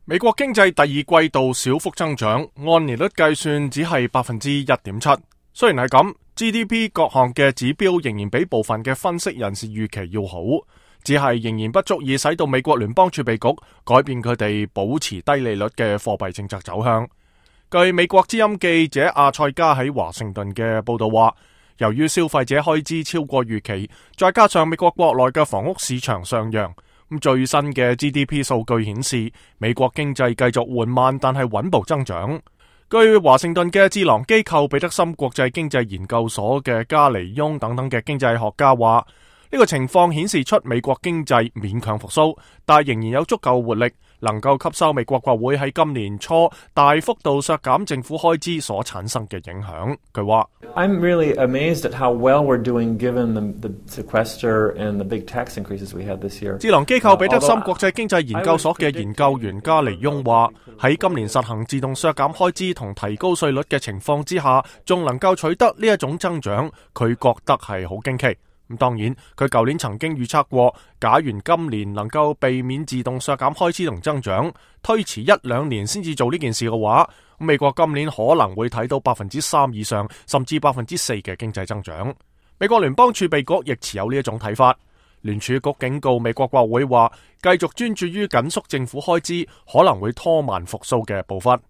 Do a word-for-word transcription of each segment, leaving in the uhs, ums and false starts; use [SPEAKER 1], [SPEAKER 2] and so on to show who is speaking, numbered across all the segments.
[SPEAKER 1] 美國經濟第二季度小幅增長，按年率計算只係百分之一點七。雖然係咁 ，G D P 各項嘅指標仍然比部分嘅分析人士預期要好，只係仍然不足以使到美國聯邦儲備局改變佢哋保持低利率嘅貨幣政策走向。據美國之音記者阿塞加喺華盛頓嘅報道話，由於消費者開支超過預期，再加上美國國內嘅房屋市場上揚。咁最新嘅 G D P 數據顯示，美國經濟繼續緩慢但係穩步增長。據華盛頓嘅智囊機構彼得森國際經濟研究所嘅加尼翁等等嘅經濟學家話，呢個情況顯示出美國經濟勉強復甦，但係仍然有足夠活力，能夠吸收美國國會喺今年初大幅度削減政府開支所產生嘅影響。佢話
[SPEAKER 2] I'm really amazed at how well we're doing given the, the sequester and the big tax increases we had this year.
[SPEAKER 1] 智囊機構彼得森國際經濟研究所嘅研究員加尼翁話，喺今年實行自動削減開支同提高稅率嘅情況之下，仲能夠取得呢一種增長，佢覺得係好驚奇。咁當然，佢舊年曾經預測過，假如今年能夠避免自動削減開支同增長，推遲一兩年先至做呢件事嘅話，美國今年可能會睇到百分之三以上，甚至百分之四嘅經濟增長。美國聯邦儲備局亦持有呢一種睇法。聯儲局警告美國國會話，繼續專注於緊縮政府開支，可能會拖慢復甦嘅步伐。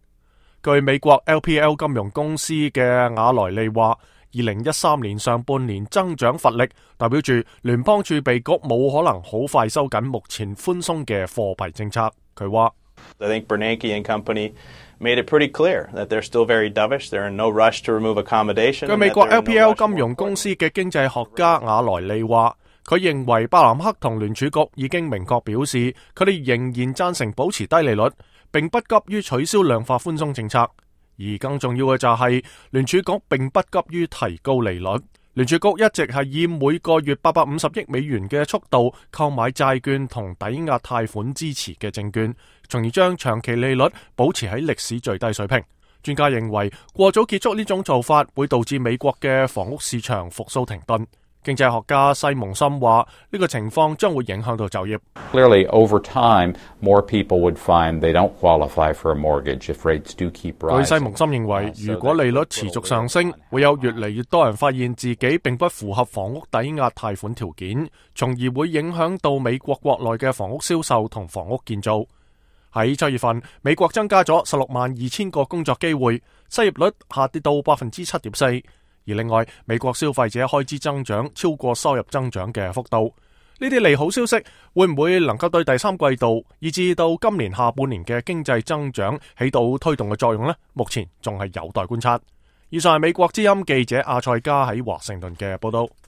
[SPEAKER 1] 據美國 L P L 金融公司嘅雅萊利話，二零一三年上半年增長乏力，代表住聯邦儲備局冇可能好快收緊目前寬鬆嘅貨幣政策。佢話
[SPEAKER 3] I think Bernanke and company made it pretty clear that they're still very dovish. They're in no rush to remove accommodation.
[SPEAKER 1] 據美國 L P L 金融公司嘅經濟學家雅萊利話，佢認為伯南克同聯儲局已經明確表示，佢哋仍然贊成保持低利率，並不急於取消量化寬鬆政策。而更重要嘅就係聯儲局並不急於提高利率，聯儲局一直係以每個月八百五十億美元嘅速度購買債券同抵押貸款支持嘅證券，從而將長期利率保持喺歷史最低水平。專家認為過早結束呢種做法會導致美國嘅房屋市場復甦停頓。經濟學家西蒙森話，呢個情況將會影響到就業。
[SPEAKER 4] Clearly, over time, more people would find they don't qualify for a mortgage if rates do keep rising.
[SPEAKER 1] 據西蒙森認為，如果利率持續上升，會有越嚟越多人發現自己並不符合房屋抵押貸款條件，從而會影響到美國國內嘅房屋銷售同房屋建造。喺七月份，美國增加咗十六萬二千個工作機會，失業率下跌到百分之七點四。而另外，美國消費者開支增長超過收入增長嘅幅度，呢啲利好消息會唔會能夠對第三季度以至到今年下半年嘅經濟增長起到推動嘅作用呢？目前仲係有待觀察。以上係美國之音記者阿塞加喺華盛頓嘅報道。